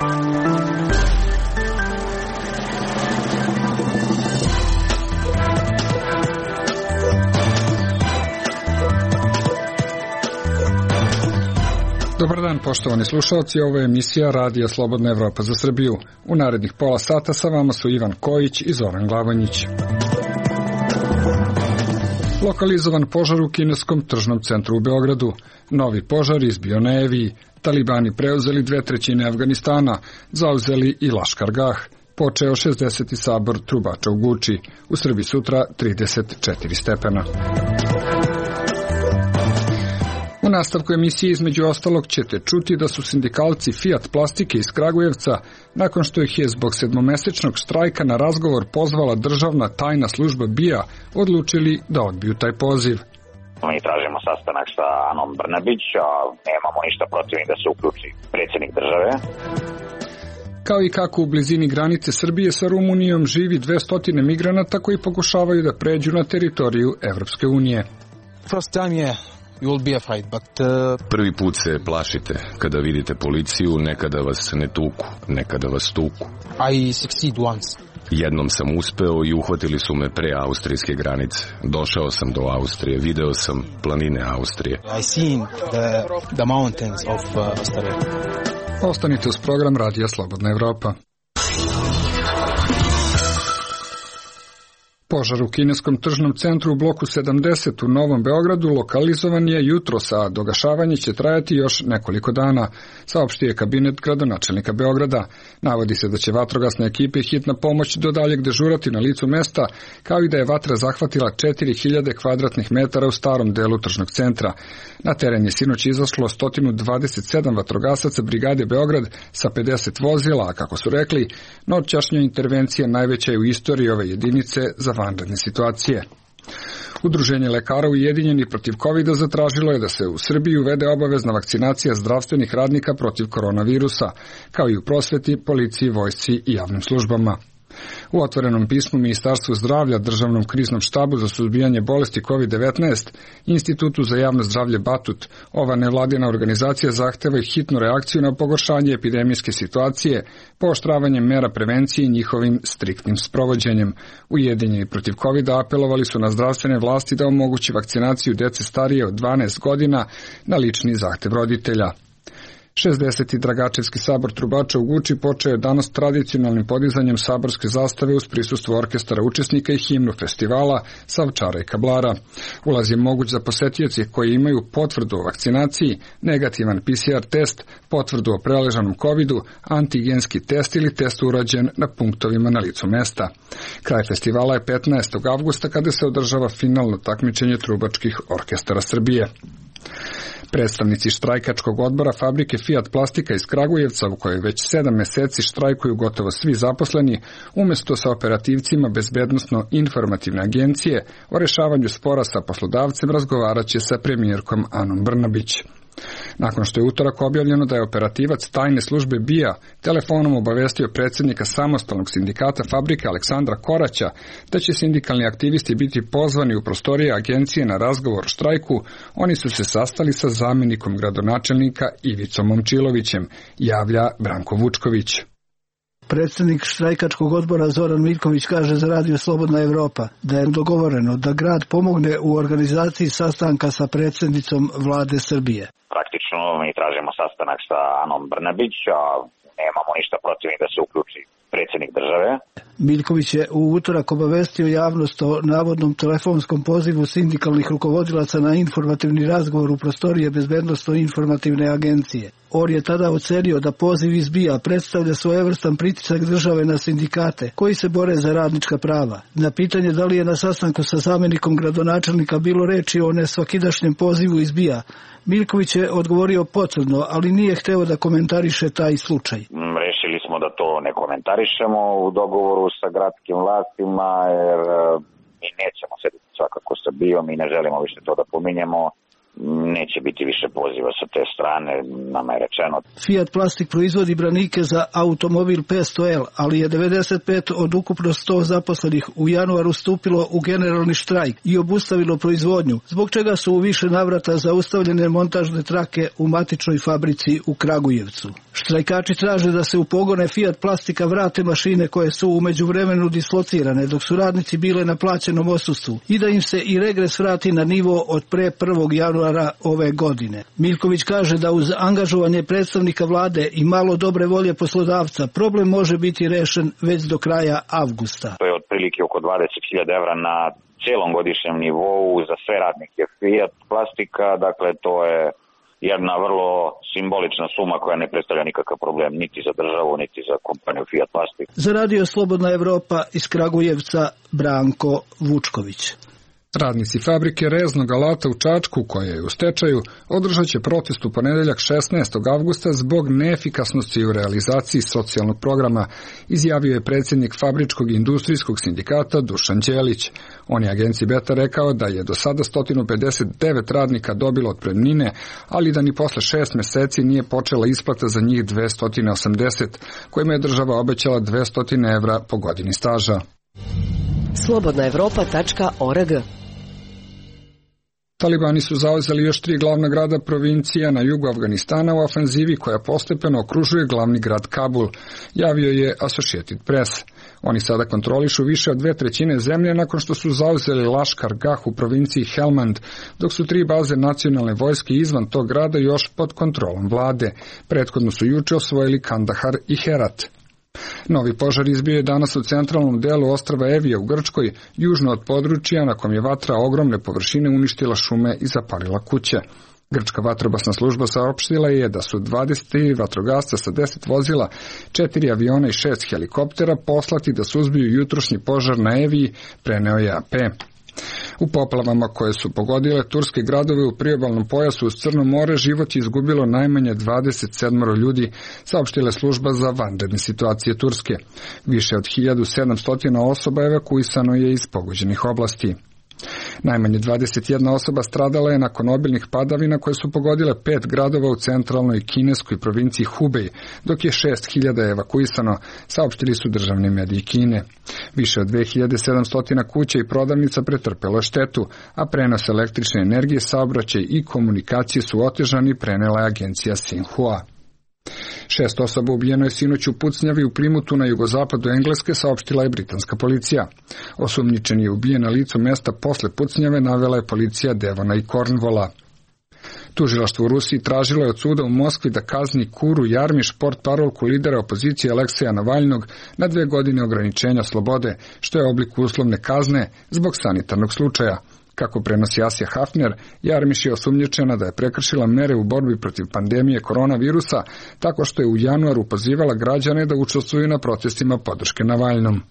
Dobar dan, poštovani slušalci, ovo je emisija Radija Slobodna Evropa za Srbiju. U narednih pola sata sa vama su Ivan Kojić i Zoran Glavanjić. Lokalizovan požar u kineskom tržnom centru u Beogradu. Novi požar izbio na Eviji. Talibani preuzeli 2/3 Afganistana, zauzeli i Laškargah. Počeo 60. sabor trubača u Guči. U Srbiji sutra 34 stepena. U nastavku emisije između ostalog ćete čuti da su sindikalci Fiat Plastike iz Kragujevca, nakon što ih je zbog 7-mesečnog štrajka na razgovor pozvala državna tajna služba BIA, odlučili da odbiju taj poziv. Mi tražimo sastanak sa Anom Brnabić, a nemamo ništa protiv da se uključi predsjednik države. Kao i kako u blizini granice Srbije sa Rumunijom živi 200 migranata koji pokušavaju da pređu na teritoriju Evropske unije. Prvi put se plašite kada vidite policiju, nekada vas ne tuku, nekada vas tuku. Jednom sam uspeo i uhvatili su me pre austrijske granice. Došao sam do Austrije, video sam planine Austrije. Ostanite uz program Radija Slobodna Evropa. Požar u kineskom tržnom centru u bloku 70 u Novom Beogradu lokalizovan je jutros, a dogašavanje će trajati još nekoliko dana, saopštio je kabinet gradonačelnika Beograda. Navodi se da će vatrogasne ekipe i hitna pomoć do daljeg dežurati na licu mesta, kao i da je vatra zahvatila 4000 kvadratnih metara u starom delu tržnog centra. Na teren je sinoć izašlo 127 vatrogasaca brigade Beograd sa 50 vozila, a kako su rekli, noćašnja intervencija najveća je u istoriji ove jedinice za vanredne situacije. Udruženje lekara ujedinjenih protiv COVID-a zatražilo je da se u Srbiji uvede obavezna vakcinacija zdravstvenih radnika protiv koronavirusa, kao i u prosveti, policiji, vojsci i javnim službama. U otvorenom pismu Ministarstvu zdravlja, Državnom kriznom štabu za suzbijanje bolesti COVID-19, Institutu za javno zdravlje Batut, ova nevladina organizacija zahteva i hitnu reakciju na pogoršanje epidemijske situacije, pooštravanjem mera prevencije i njihovim striktnim sprovođenjem. Ujedinjeni protiv COVID-a apelovali su na zdravstvene vlasti da omogući vakcinaciju dece starije od 12 godina na lični zahtev roditelja. 60. Dragačevski sabor trubača u Guči počeo je danas tradicionalnim podizanjem saborske zastave uz prisustvo orkestara učesnika i himnu festivala Savčara i Kablara. Ulaz je moguć za posetioce koji imaju potvrdu o vakcinaciji, negativan PCR test, potvrdu o preležanom COVID-u, antigenski test ili test urađen na punktovima na licu mesta. Kraj festivala je 15. avgusta kada se održava finalno takmičenje trubačkih orkestara Srbije. Predstavnici štrajkačkog odbora fabrike Fiat Plastika iz Kragujevca, u kojoj već 7 meseci štrajkuju gotovo svi zaposleni, umjesto sa operativcima Bezbednosno-informativne agencije o rešavanju spora sa poslodavcem razgovarat će sa premijerkom Anom Brnabić. Nakon što je utorak objavljeno da je operativac tajne službe BIA telefonom obavestio predsjednika samostalnog sindikata fabrike Aleksandra Koraća da će sindikalni aktivisti biti pozvani u prostorije agencije na razgovor o štrajku, oni su se sastali sa zamjenikom gradonačelnika Ivicom Momčilovićem, javlja Branko Vučković. Predsjednik štrajkačkog odbora Zoran Miljković kaže za Radio Slobodna Evropa da je dogovoreno da grad pomogne u organizaciji sastanka sa predsjednicom vlade Srbije. Praktično mi tražimo sastanak sa Anom Brnabić, a nemamo ništa protiv da se uključi predsjednik države. Miljković je u utorak obavestio javnost o navodnom telefonskom pozivu sindikalnih rukovodilaca na informativni razgovor u prostorije Bezbednosno-informativne agencije. On je tada ocenio da poziv iz BIA predstavlja svojevrstan pritisak države na sindikate koji se bore za radnička prava. Na pitanje da li je na sastanku sa zamjenikom gradonačelnika bilo reči o nesvakidašnjem pozivu iz BIA, Miljković je odgovorio potvrdno, ali nije hteo da komentariše taj slučaj. Rešili smo da to ne komentarišemo u dogovoru sa gradskim vlastima, jer mi nećemo sediti svakako sa BIA-om i ne želimo više to da pominjemo. neće biti više poziva sa te strane, nama je rečeno. Fiat Plastik proizvodi branike za automobil 500L, ali je 95 od ukupno 100 zaposlenih u januaru stupilo u generalni štrajk i obustavilo proizvodnju, zbog čega su u više navrata zaustavljene montažne trake u matičnoj fabrici u Kragujevcu. Štrajkači traže da se u pogone Fiat Plastika vrate mašine koje su u međuvremenu dislocirane dok su radnici bile na plaćenom odsustvu i da im se i regres vrati na nivo od pre 1. januara ove godine. Miljković kaže da uz angažovanje predstavnika vlade i malo dobre volje poslodavca problem može biti rešen već do kraja avgusta. To je otprilike oko 20.000 evra na cijelom godišnjem nivou za sve radnike Fiat Plastika, dakle to je jedna vrlo simbolična suma koja ne predstavlja nikakav problem niti za državu, niti za kompaniju Fiat Plastik. Za Radio Slobodna Evropa iz Kragujevca, Branko Vučković. Radnici fabrike reznog alata u Čačku, koja je u stečaju, održat će protest u ponedeljak 16. avgusta zbog neefikasnosti u realizaciji socijalnog programa, izjavio je predsjednik Fabričkog industrijskog sindikata Dušan Đelić. On je agenciji Beta rekao da je do sada 159 radnika dobilo otpremnine, ali da ni posle 6 meseci nije počela isplata za njih 280, kojima je država obećala 200 evra po godini staža. slobodnaevropa.org. Talibani su zauzeli još 3 glavna grada provincija na jugu Afganistana u ofenzivi koja postepeno okružuje glavni grad Kabul, javio je Associated Press. Oni sada kontrolišu više od 2/3 zemlje nakon što su zauzeli Laškar Gah u provinciji Helmand, dok su 3 baze nacionalne vojske izvan tog grada još pod kontrolom vlade. Prethodno su juče osvojili Kandahar i Herat. Novi požar izbio je danas u centralnom delu ostrva Evija u Grčkoj, južno od područja na kom je vatra ogromne površine uništila šume i zapalila kuće. Grčka vatrogasna služba saopštila je da su 23 vatrogasca sa 10 vozila, 4 aviona i 6 helikoptera poslati da suzbiju jutrošnji požar na Eviji, preneo je AP. U poplavama koje su pogodile turske gradove u priobalnom pojasu uz Crno more život je izgubilo najmanje 27 ljudi, saopštila služba za vanredne situacije Turske. Više od 1700 osoba evakuisano je iz pogođenih oblasti. Najmanje 21 osoba stradala je nakon obilnih padavina koje su pogodile 5 gradova u centralnoj kineskoj provinciji Hubei, dok je 6000 evakuisano, saopštili su državni mediji Kine. Više od 2700 kuća i prodavnica pretrpelo je štetu, a prenos električne energije, saobraćaj i komunikacije su otežani, prenela je agencija Xinhua. 6 osoba ubijeno je sinoć u pucnjavi u Primutu na jugozapadu Engleske, saopštila je britanska policija. Osumnjičeni je ubijen na licu mesta posle pucnjave, navela je policija Devona i Cornwalla. Tužilaštvo u Rusiji tražilo je od suda u Moskvi da kazni Kuru Jarmiš, portparolku lidera opozicije Alekseja Navalnog, na 2 godine ograničenja slobode, što je oblik uslovne kazne zbog sanitarnog slučaja. Kako prenosi Asija Hafner, Jarmiš je osumnjičena da je prekršila mere u borbi protiv pandemije koronavirusa, tako što je u januaru pozivala građane da učestvuju na protestima podrške Navalnom.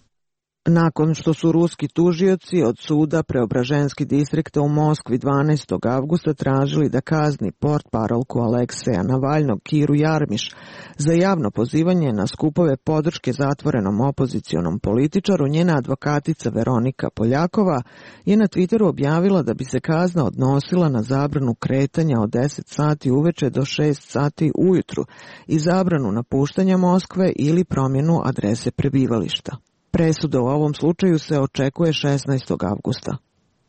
Nakon što su ruski tužioci od suda Preobraženski distrikta u Moskvi 12. avgusta tražili da kazni portparolku Alekseja Navalnog Kiru Jarmiš za javno pozivanje na skupove podrške zatvorenom opozicionom političaru, njena advokatica Veronika Poljakova je na Twitteru objavila da bi se kazna odnosila na zabranu kretanja od 10 sati uveče do 6 sati ujutru i zabranu napuštanja Moskve ili promjenu adrese prebivališta. Presuda u ovom slučaju se očekuje 16. avgusta.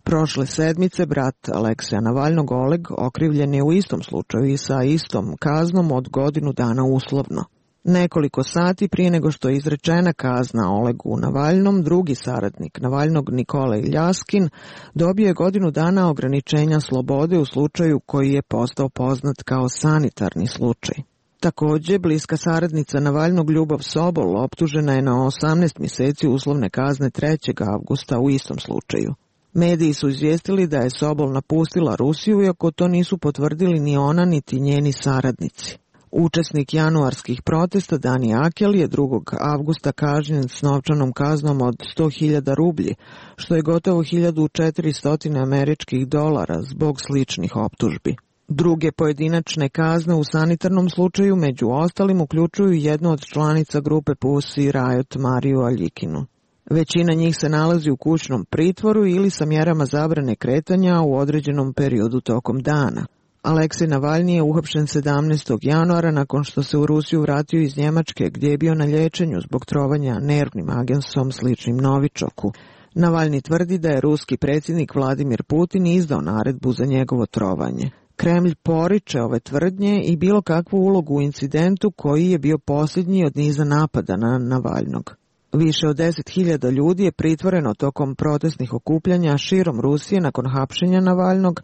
Prošle sedmice brat Alekseja Navalnog Oleg okrivljen je u istom slučaju i sa istom kaznom od godinu dana uslovno. Nekoliko sati prije nego što je izrečena kazna Olegu Navalnom, drugi saradnik Navalnog Nikolaj Ljaskin dobio je godinu dana ograničenja slobode u slučaju koji je postao poznat kao sanitarni slučaj. Također, bliska saradnica Navalnog Ljubav Sobol optužena je na 18 mjeseci uslovne kazne 3. avgusta u istom slučaju. Mediji su izvijestili da je Sobol napustila Rusiju, iako to nisu potvrdili ni ona niti njeni saradnici. Učesnik januarskih protesta Dani Akel je 2. avgusta kažnjen s novčanom kaznom od 100.000 rublji, što je gotovo 1400 američkih dolara zbog sličnih optužbi. Druge pojedinačne kazne u sanitarnom slučaju među ostalim uključuju jednu od članica grupe Pussy Riot Mariju Aljikinu. Većina njih se nalazi u kućnom pritvoru ili sa mjerama zabrane kretanja u određenom periodu tokom dana. Aleksej Navalni je uhapšen 17. januara nakon što se u Rusiju vratio iz Njemačke gdje je bio na liječenju zbog trovanja nervnim agensom sličnim Novičoku. Navalni tvrdi da je ruski predsjednik Vladimir Putin izdao naredbu za njegovo trovanje. Kremlj poriče ove tvrdnje i bilo kakvu ulogu u incidentu koji je bio posljednji od niza napada na Navalnog. Više od 10.000 ljudi je pritvoreno tokom protestnih okupljanja širom Rusije nakon hapšenja Navalnog.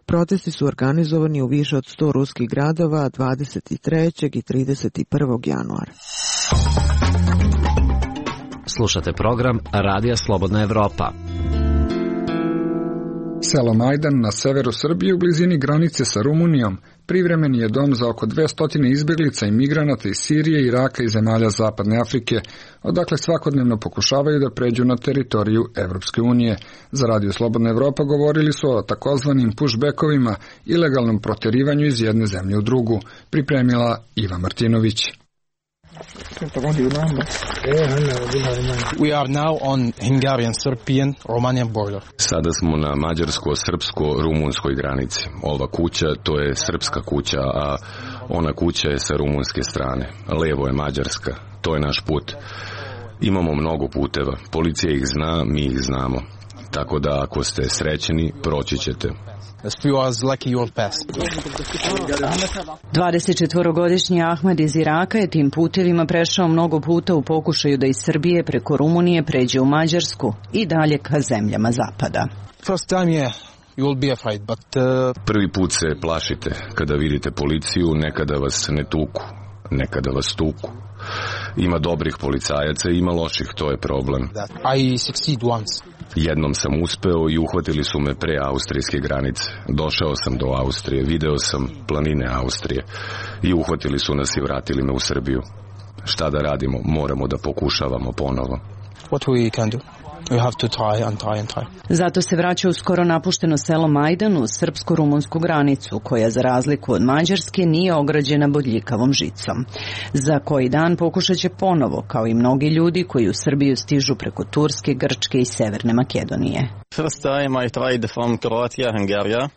Protesti su organizovani u više od 100 ruskih gradova 23. i 31. januara. Slušate program Radija Slobodna Evropa. Selo Majdan na severu Srbije u blizini granice sa Rumunijom privremeni je dom za oko 200 izbjeglica i migranata iz Sirije, Iraka i zemalja Zapadne Afrike, odakle svakodnevno pokušavaju da pređu na teritoriju Evropske unije. Za Radio Slobodna Evropa govorili su o takozvanim pushbackovima, ilegalnom protjerivanju iz jedne zemlje u drugu, pripremila Iva Martinović. We are now on Hungarian-Serbian-Romanian border. Sada smo na mađarsko-srpsko-rumunskoj granici. Ova kuća, to je srpska kuća, a ona kuća je sa rumunske strane. Levo je mađarska. To je naš put. Imamo mnogo puteva. Policija ih zna, mi ih znamo. Tako da ako ste srećeni, proći ćete. 24-godišnji Ahmed iz Iraka je tim putevima prešao mnogo puta u pokušaju da iz Srbije preko Rumunije pređe u Mađarsku i dalje ka zemljama zapada. Prvi put se plašite kada vidite policiju, nekada vas ne tuku, nekada vas tuku. Ima dobrih policajaca i ima loših, to je problem. Jednom sam uspeo i uhvatili su me pre austrijske granice. Došao sam do Austrije, video sam planine Austrije i uhvatili su nas i vratili me u Srbiju. Šta da radimo? Moramo da pokušavamo ponovo. What we can do? We have to try and try and try. Zato se vraća u skoro napušteno selo Majdan uz srpsko-rumunsku granicu, koja za razliku od Mađarske nije ograđena bodljikavom žicom. Za koji dan pokušat će ponovo, kao i mnogi ljudi koji u Srbiju stižu preko Turske, Grčke i Severne Makedonije.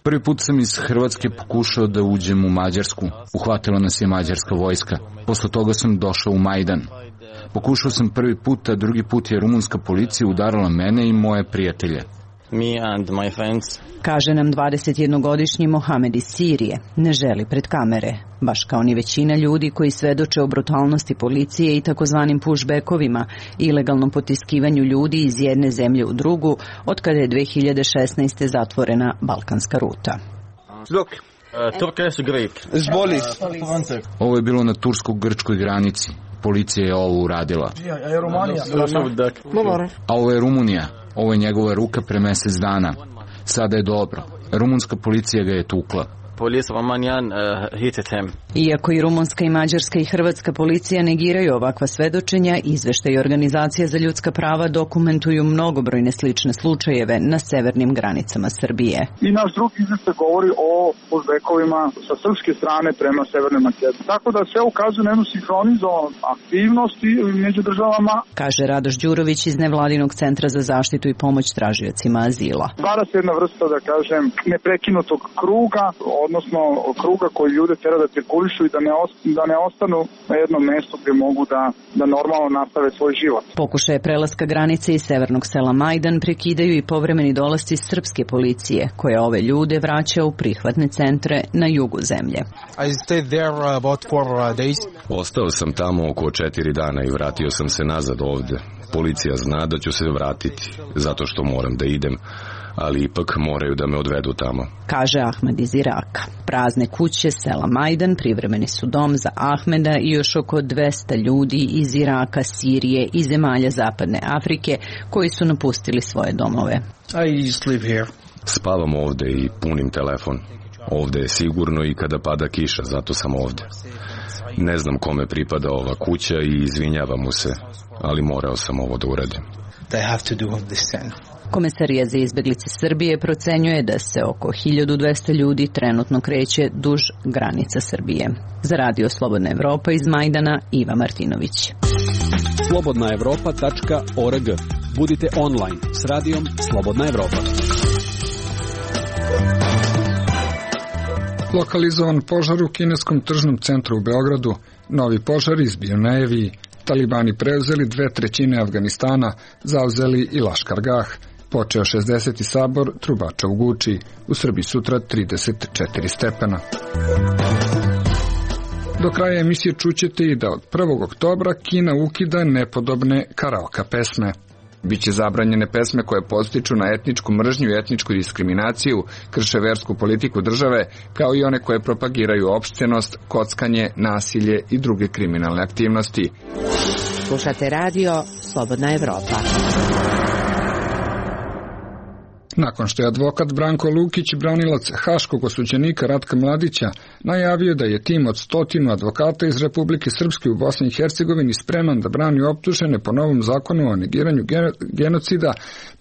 Prvi put sam iz Hrvatske pokušao da uđem u Mađarsku. Uhvatila nas je mađarska vojska. Posle toga sam došao u Majdan. Pokušao sam prvi put, a drugi put je rumunska policija udarala mene i moje prijatelje. Kaže nam 21-godišnji Mohamed iz Sirije. Ne želi pred kamere, baš kao ni većina ljudi koji svedoče o brutalnosti policije i takozvanim pushbackovima, ilegalnom potiskivanju ljudi iz jedne zemlje u drugu, od kada je 2016. zatvorena balkanska ruta. Ovo je bilo na tursko-grčkoj granici. Policija je ovo uradila. A ovo je Rumunija. Ovo je njegova ruka pre mjesec dana. Sada je dobro. Rumunska policija ga je tukla. Iako i rumunska i mađarska i hrvatska policija negiraju ovakva svedočenja, izveštaji organizacija za ljudska prava dokumentuju mnogobrojne slične slučajeve na severnim granicama Srbije. I naš drugi izveštaj govori o pushbackovima sa srpske strane prema Severnoj Makedoniji. Tako da sve ukazuje na jednu sinhronizovanost aktivnosti među državama. Kaže Radoš Đurović iz nevladinog centra za zaštitu i pomoć tražiocima azila. Stvara se jedna vrsta, da kažem, neprekinutog kruga, odnosno kruga koji ljude tera da cirkulišu i da ne ostanu na jednom mjestu gdje mogu da normalno nastave svoj život. Pokušaje prelaska granice iz severnog sela Majdan prekidaju i povremeni dolasci srpske policije, koja ove ljude vraća u prihvatne centre na jugu zemlje. Ostao sam tamo oko 4 dana i vratio sam se nazad ovde. Policija zna da ću se vratiti, zato što moram da idem, ali ipak moraju da me odvedu tamo. Kaže Ahmed iz Iraka. Prazne kuće sela Majdan privremeni su dom za Ahmeda i još oko 200 ljudi iz Iraka, Sirije i zemalja Zapadne Afrike koji su napustili svoje domove. Spavam ovde i punim telefon. Ovde je sigurno i kada pada kiša, zato sam ovde. Ne znam kome pripada ova kuća i izvinjavam mu se, ali morao sam ovo da uradim. Komesarija za izbeglice Srbije procenjuje da se oko 1200 ljudi trenutno kreće duž granica Srbije. Za Radio Slobodna Evropa iz Majdana, Iva Martinović. slobodnaevropa.org. Budite online s radijom Slobodna Evropa. Lokalizovan požar u kineskom tržnom centru u Beogradu, novi požar izbio na Eviji, talibani preuzeli 2/3 Afganistana, zauzeli i Laškar Gah, počeo 60. sabor trubača u Guči, u Srbiji sutra 34 stepena. Do kraja emisije čućete i da od 1. oktobra Kina ukida nepodobne karaoke pesme. Biće zabranjene pesme koje podstiču na etničku mržnju i etničku diskriminaciju, krše versku politiku države, kao i one koje propagiraju opštenost, kockanje, nasilje i druge kriminalne aktivnosti. Slušate radio Slobodna Evropa. Nakon što je advokat Branko Lukić, branilac haškog osuđenika Ratka Mladića, najavio da je tim od 100 advokata iz Republike Srpske u Bosni i Hercegovini spreman da brani optužene po novom zakonu o negiranju genocida,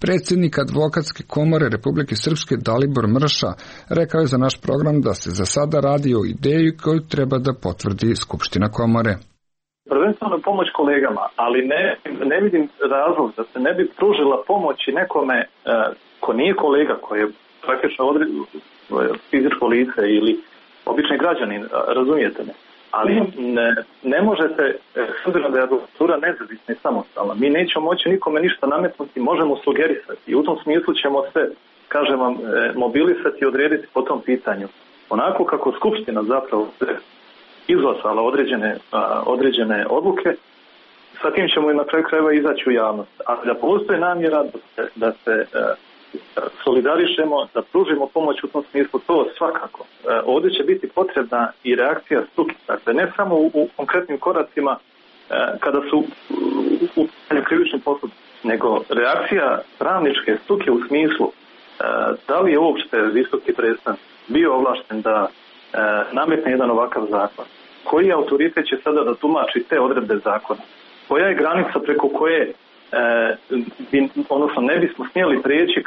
predsjednik advokatske komore Republike Srpske Dalibor Mrša rekao je za naš program da se za sada radi o ideji koju treba da potvrdi Skupština komore. Prvenstveno pomoć kolegama, ali ne vidim razlog da se ne bi pružila pomoć i nekome ko nije kolega, koji je praktično fizičko lice ili obični građanin, razumijete me. Ali ne možete, s obzirom da je advokatura nezavisna i samostalna, mi nećemo moći nikome ništa nametnuti, možemo sugerisati i u tom smislu ćemo se, kažem vam, mobilisati i odrediti po tom pitanju. Onako kako Skupština zapravo izglasala određene odluke, sa tim ćemo i na kraju krajeva izaći u javnost. A da postoji namjera da se solidarišemo, da pružimo pomoć u tom smislu, to svakako. Ovdje će biti potrebna i reakcija struke. Dakle, ne samo u konkretnim koracima kada su u krivičnim postupcima, nego reakcija pravničke struke u smislu da li je uopšte visoki predstavnik bio ovlašten da nametne jedan ovakav zakon. Koji autoritet će sada da tumači te odredbe zakona? Koja je granica preko koje odnosno ne bismo smjeli prijeći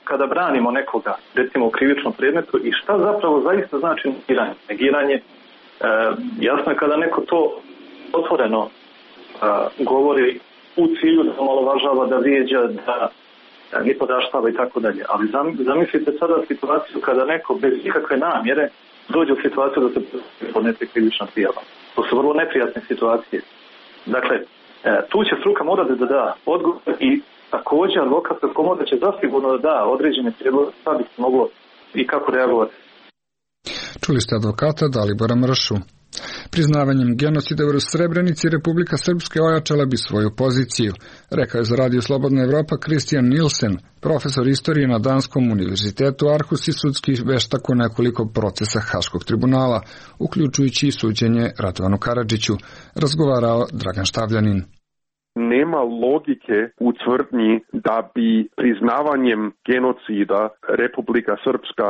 kada branimo nekoga, recimo u krivičnom predmetu, i šta zapravo zaista znači negiranje? Negiranje, jasno je kada neko to otvoreno govori u cilju da omalovažava, da vrijeđa, da nipodaštava i tako dalje. Ali zamislite sada situaciju kada neko bez ikakve namjere dođe u situaciju da se podnese krivična prijava. To su vrlo neprijatne situacije. Dakle, tu će struka morati da da odgovor i također advokatska komora će zasigurno da da određene prijedloge šta bi se moglo i kako reagovati. Čuli ste advokata Dalibora Mršu. Priznavanjem genocida u Srebrenici Republika Srpska ojačala bi svoju poziciju, rekao je za Radio Slobodna Evropa Kristijan Nilsen, profesor istorije na Danskom univerzitetu Aarhus i sudski veštak u nekoliko procesa Haškog tribunala, uključujući i suđenje Radovanu Karadžiću, razgovarao Dragan Štavljanin. Nema logike u tvrdnji da bi priznavanjem genocida Republika Srpska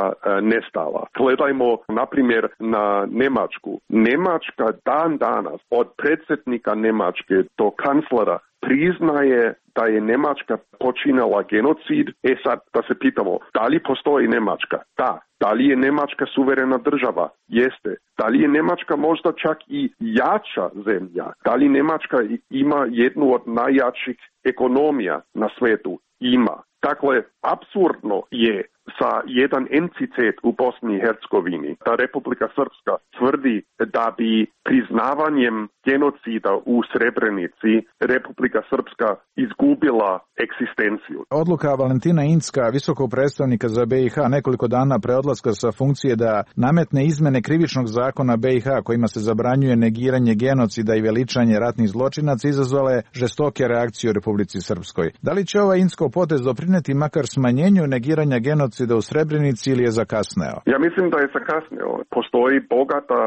nestala. Gledajmo, na primjer, na Njemačku. Njemačka dan danas od predsjednika Njemačke do kanclera priznaje da je Njemačka počinila genocid. Sad da se pitamo, da li postoji Njemačka? Da. Da li je Njemačka suverena država? Jeste. Da li je Njemačka možda čak i jača zemlja? Da li Njemačka ima jednu od najjačih ekonomija na svijetu? Ima. Dakle, apsurdno je sa jedan entitet u Bosni i Hercegovini, da Republika Srpska tvrdi da bi priznavanjem genocida u Srebrenici Republika Srpska izgubila egzistenciju. Odluka Valentina Incka, visokog predstavnika za BiH, nekoliko dana pre odlaska sa funkcije da nametne izmene krivičnog zakona BiH kojima se zabranjuje negiranje genocida i veličanje ratnih zločinaca, izazvala je žestoke reakcije u Republici Srpskoj. Da li će ovaj Inckov potez doprineti makar smanjenju negiranja genocida u Srebrenici ili je zakasneo? Ja mislim da je zakasneo. Postoji bogata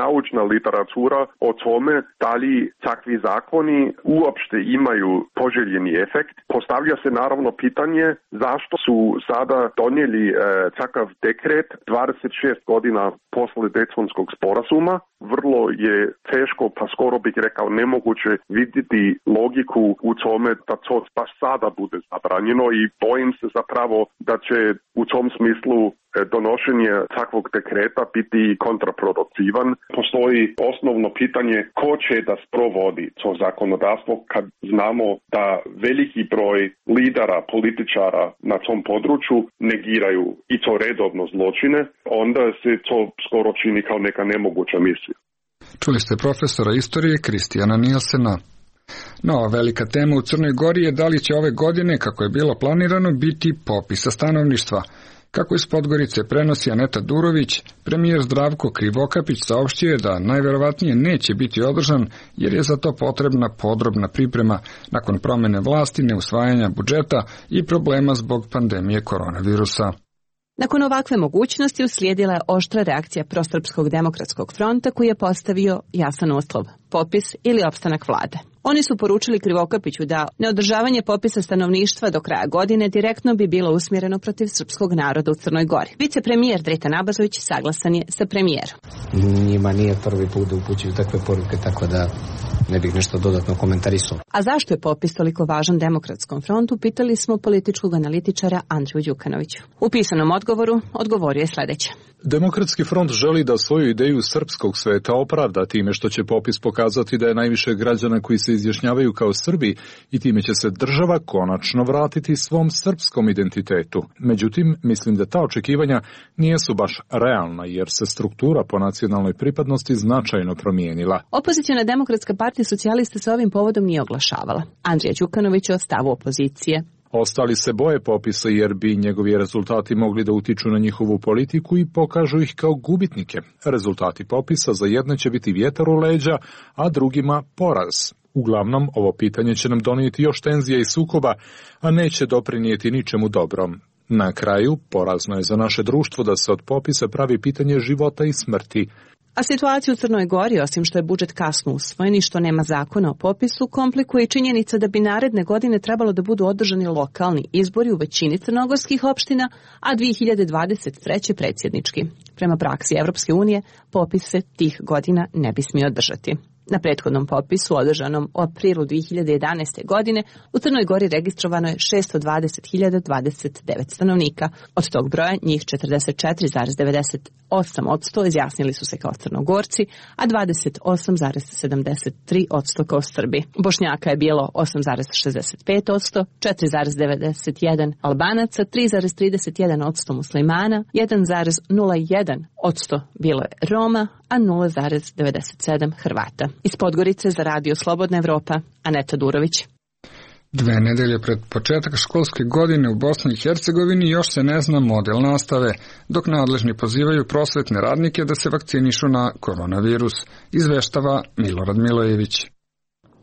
naučna literatura o tome da li takvi zakoni uopšte imaju poželjeni efekt. Postavlja se naravno pitanje zašto su sada donijeli takav dekret 26 godina posle Daytonskog sporazuma. Vrlo je teško, pa skoro bih rekao nemoguće vidjeti logiku u tome da to baš sada bude zabranjeno i bojim se zapravo da će u tom smislu donošenje takvog dekreta biti kontraproduktivan. Postoji osnovno pitanje ko će da sprovodi to zakonodavstvo kad znamo da veliki broj lidera, političara na tom području negiraju i to redovno zločine, onda se to skoro čini kao neka nemoguća misija. Čuli ste profesora istorije Kristijana Nilsena. Nova velika tema u Crnoj Gori je da li će ove godine, kako je bilo planirano, biti popisa stanovništva. Kako iz Podgorice prenosi Aneta Durović, premijer Zdravko Krivokapić saopštio je da najverovatnije neće biti održan jer je za to potrebna podrobna priprema nakon promene vlasti, neusvajanja budžeta i problema zbog pandemije koronavirusa. Nakon ovakve mogućnosti uslijedila je oštra reakcija Prosrpskog demokratskog fronta koji je postavio jasan uslov, popis ili opstanak vlade. Oni su poručili Krivokapiću da neodržavanje popisa stanovništva do kraja godine direktno bi bilo usmjereno protiv srpskog naroda u Crnoj Gori. Vicepremijer Dreta Nabazović saglasan je sa premijerom. Njima nije prvi put da upućuju takve poruke, tako da ne bih nešto dodatno komentarisao. A zašto je popis toliko važan Demokratskom frontu, pitali smo političkog analitičara Andriju Đukanoviću. U pisanom odgovoru odgovorio je sljedeće. Demokratski front želi da svoju ideju srpskog sveta opravda time što će popis pokazati da je najviše građana koji se izjašnjavaju kao Srbi i time će se država konačno vratiti svom srpskom identitetu. Međutim, mislim da ta očekivanja nisu baš realna jer se struktura po nacionalnoj pripadnosti značajno promijenila. Opozicijona Demokratska partija socijalista se ovim povodom nije oglašavala. Andrija Đukanović o stavu opozicije. Ostali se boje popisa jer bi njegovi rezultati mogli da utiču na njihovu politiku i pokažu ih kao gubitnike. Rezultati popisa za jedne će biti vjetar u leđa, a drugima poraz. Uglavnom, ovo pitanje će nam donijeti još tenzija i sukoba, a neće doprinijeti ničemu dobrom. Na kraju, porazno je za naše društvo da se od popisa pravi pitanje života i smrti. A situaciju u Crnoj Gori, osim što je budžet kasno usvojen i što nema zakona o popisu, komplikuje i činjenica da bi naredne godine trebalo da budu održani lokalni izbori u većini crnogorskih opština, a 2023. predsjednički. Prema praksi Evropske unije, popis se tih godina ne bi smio održati. Na prethodnom popisu, održanom u aprilu 2011. godine, u Crnoj Gori registrovano je 620.029 stanovnika. Od tog broja njih 44,98% izjasnili su se kao Crnogorci, a 28,73% kao Srbi. Bošnjaka je bilo 8,65%, 4,91% Albanaca, 3,31% muslimana, 1,01% bilo je Roma, a 0,97% Hrvata. Iz Podgorice za Radio Slobodna Evropa, Aneta Durović. 2 nedelje pred početak školske godine u Bosni i Hercegovini još se ne zna model nastave, dok nadležni pozivaju prosvetne radnike da se vakcinišu na koronavirus, izveštava Milorad Milojević.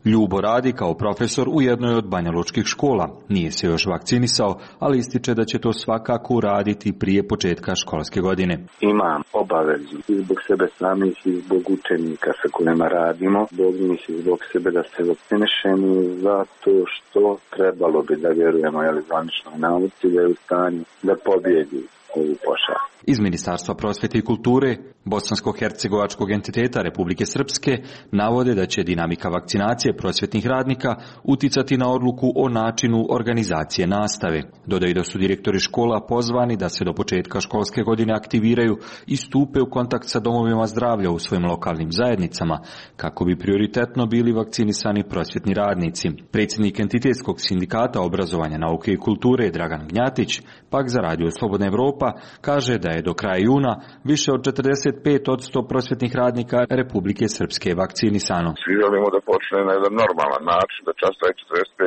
Ljubo radi kao profesor u jednoj od banjalučkih škola. Nije se još vakcinisao, ali ističe da će to svakako uraditi prije početka školske godine. Imam obavezu i zbog sebe samih i zbog učenika sa kojima radimo, zbog njih i zbog sebe da se vakcinišemo zato što trebalo bi da vjerujemo zvaničnoj nauci da je u stanju da pobjedi ovu pošast. Iz Ministarstva prosvete i kulture Bosansko-hercegovačkog entiteta Republike Srpske navode da će dinamika vakcinacije prosvetnih radnika uticati na odluku o načinu organizacije nastave. Dodaju da su direktori škola pozvani da se do početka školske godine aktiviraju i stupe u kontakt sa domovima zdravlja u svojim lokalnim zajednicama kako bi prioritetno bili vakcinisani prosvetni radnici. Predsjednik entitetskog sindikata obrazovanja, nauke i kulture Dragan Gnjatić pak za Radio Slobodna Evropa kaže da je do kraja juna više od 45% prosvetnih radnika Republike Srpske vakcinisano. Svi želimo da počne na jedan normalan način, da čas traje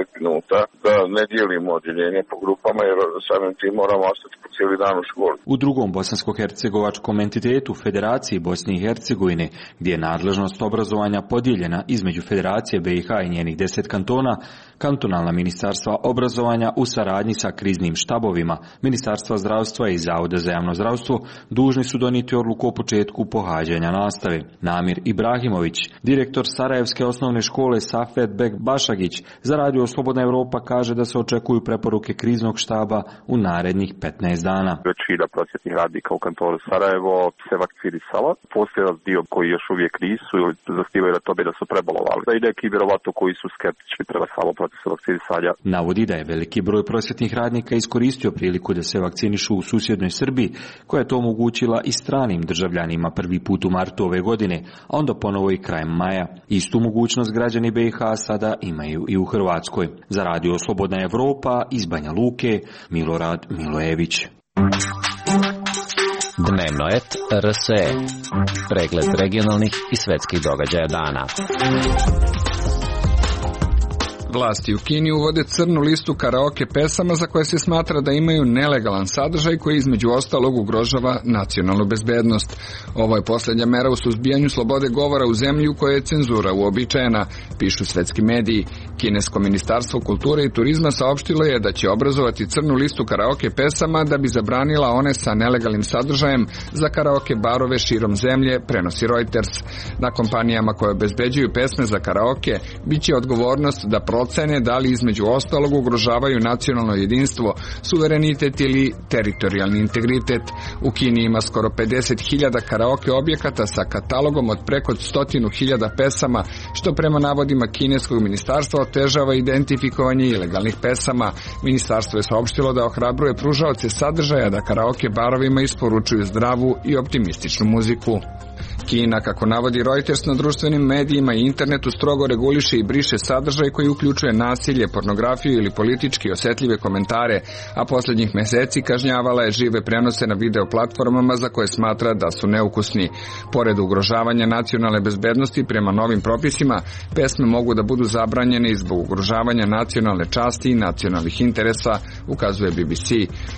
45 minuta, da ne dijelimo odjeljenje po grupama jer samim tim moramo ostati po cijeli dan u školi. U drugom bosansko-hercegovačkom entitetu Federaciji Bosne i Hercegovine, gdje je nadležnost obrazovanja podijeljena između Federacije BiH i njenih 10 kantona, kantonalna ministarstva obrazovanja u saradnji sa kriznim štabovima, Ministarstva zdravstva i Zavoda za javno zdravstvo dužni su donijeti odluku o početku početku pohađanja nastave. Namir Ibrahimović, direktor Sarajevske osnovne škole Safet Bek Bašagić, za Radio Slobodna Evropa kaže da se očekuju preporuke kriznog štaba u narednih 15 dana. Većina prosvjetnih radnika u kantonu Sarajevo se vakcinisala. Postoji dio koji još uvijek nisu ili zasnivaju na tome da su prebolovali. Da i neki vjerovatno koji su skeptični prema samom procesu vakcinisanja. Navodi da je veliki broj prosvjetnih radnika iskoristio priliku da se vakcinišu u susjednoj Srbiji, koja je to omogućila i stranim državljanima prvi put u martu ove godine, a onda ponovo i krajem maja. Istu mogućnost građani BiH sada imaju i u Hrvatskoj. Za Radio Slobodna Evropa iz Banja Luke, Milorad Milojević. Dnevnoet RSE. Pregled regionalnih i svetskih događaja dana. Vlasti u Kini uvode crnu listu karaoke pesama za koje se smatra da imaju nelegalan sadržaj koji između ostalog ugrožava nacionalnu bezbednost. Ovo je posljednja mera u suzbijanju slobode govora u zemlji u kojoj je cenzura uobičajena, pišu svetski mediji. Kinesko ministarstvo kulture i turizma saopštilo je da će obrazovati crnu listu karaoke pesama da bi zabranila one sa nelegalnim sadržajem za karaoke barove širom zemlje, prenosi Reuters. Na kompanijama koje obezbeđuju pesme za karaoke biće odgovornost da procene da li između ostalog ugrožavaju nacionalno jedinstvo, suverenitet ili teritorijalni integritet. U Kini ima skoro 50.000 karaoke objekata sa katalogom od preko 100.000 pesama, što prema navodima kineskog ministarstva otežava identifikovanje ilegalnih pesama. Ministarstvo je saopštilo da ohrabruje pružaoce sadržaja da karaoke barovima isporučuju zdravu i optimističnu muziku. Kina, kako navodi Reuters, na društvenim medijima i internetu strogo reguliše i briše sadržaj koji uključuje nasilje, pornografiju ili politički osjetljive komentare, a posljednjih mjeseci kažnjavala je žive prenose na video platformama za koje smatra da su neukusni. Pored ugrožavanja nacionalne bezbednosti prema novim propisima, pesme mogu da budu zabranjene i zbog ugrožavanja nacionalne časti i nacionalnih interesa, ukazuje BBC.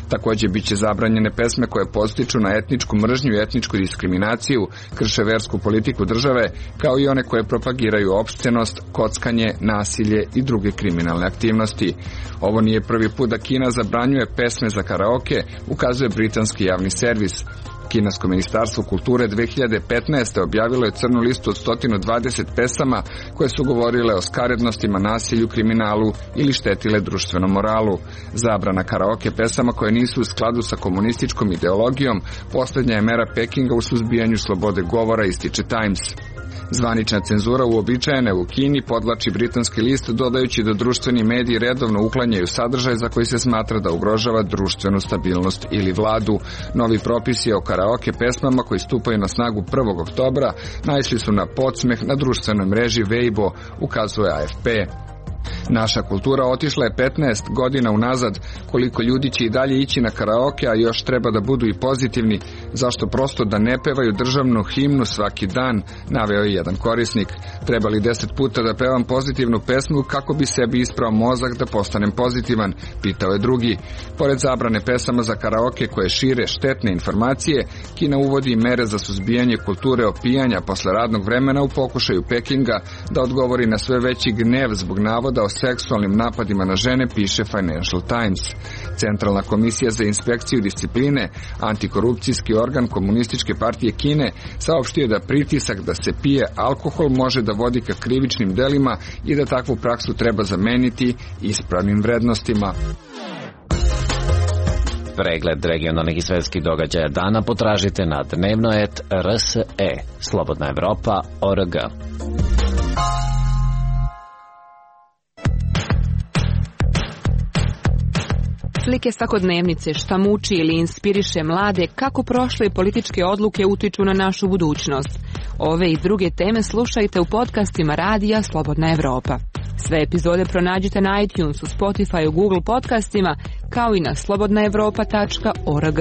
Također biće zabranjene pesme koje podstiču na etničku mržnju i etničku diskriminaciju, krše versku politiku države, kao i one koje propagiraju opscenost, kockanje, nasilje i druge kriminalne aktivnosti. Ovo nije prvi put da Kina zabranjuje pesme za karaoke, ukazuje britanski javni servis. Kinesko ministarstvo kulture 2015. objavilo je crnu listu od 120 pesama koje su govorile o skarednostima, nasilju, kriminalu ili štetile društvenom moralu. Zabrana karaoke pesama koje nisu u skladu sa komunističkom ideologijom posljednja je mera Pekinga u suzbijanju slobode govora, ističe Times. Zvanična cenzura uobičajena u Kini, podvlači britanski list, dodajući da društveni mediji redovno uklanjaju sadržaj za koji se smatra da ugrožava društvenu stabilnost ili vladu. Novi propisi o karaoke pesmama koji stupaju na snagu 1. oktobra naišli su na podsmeh na društvenoj mreži Weibo, ukazuje AFP. Naša kultura otišla je 15 godina unazad, koliko ljudi će i dalje ići na karaoke, a još treba da budu i pozitivni, zašto prosto da ne pevaju državnu himnu svaki dan, naveo je jedan korisnik. Treba li 10 puta da pevam pozitivnu pesmu kako bi sebi isprao mozak da postanem pozitivan, pitao je drugi. Pored zabrane pesama za karaoke koje šire štetne informacije, Kina uvodi mere za suzbijanje kulture opijanja posle radnog vremena u pokušaju Pekinga da odgovori na sve veći gnev zbog navoda o seksualnim napadima na žene, piše Financial Times. Centralna komisija za inspekciju discipline, antikorupcijski organ Komunističke partije Kine, saopštio je da pritisak da se pije alkohol može da vodi ka krivičnim delima i da takvu praksu treba zameniti ispravnim vrednostima. Pregled regionalnih i svetskih događaja dana potražite na dnevnoet RSE, Slobodna Evropa.org. Slike svakodnevnice, šta muči ili inspiriše mlade, kako prošle političke odluke utiču na našu budućnost. Ove i druge teme slušajte u podcastima Radija Slobodna Evropa. Sve epizode pronađite na iTunesu, Spotifyu, Google podcastima, kao i na slobodnaevropa.org.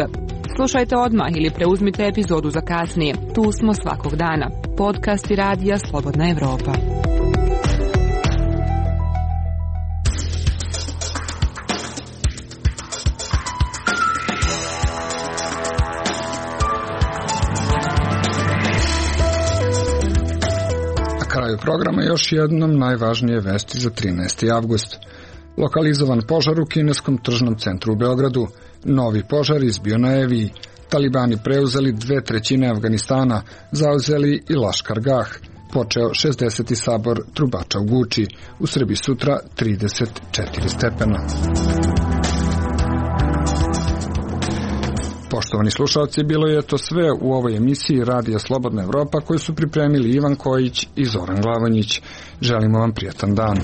Slušajte odmah ili preuzmite epizodu za kasnije. Tu smo svakog dana. Podcasti Radija Slobodna Evropa. Kraju programa još jednom najvažnije vesti za 13. avgust. Lokalizovan požar u kineskom tržnom centru u Beogradu. Novi požar izbio na Eviji. Talibani preuzeli 2/3 Afganistana, zauzeli i Laškar Gah, počeo 60. sabor trubača u Guči, u Srbiji sutra 34 stepena. Poštovani slušalci, bilo je to sve u ovoj emisiji Radija Slobodna Evropa koju su pripremili Ivan Kojić i Zoran Glavanjić. Želimo vam prijatan dan.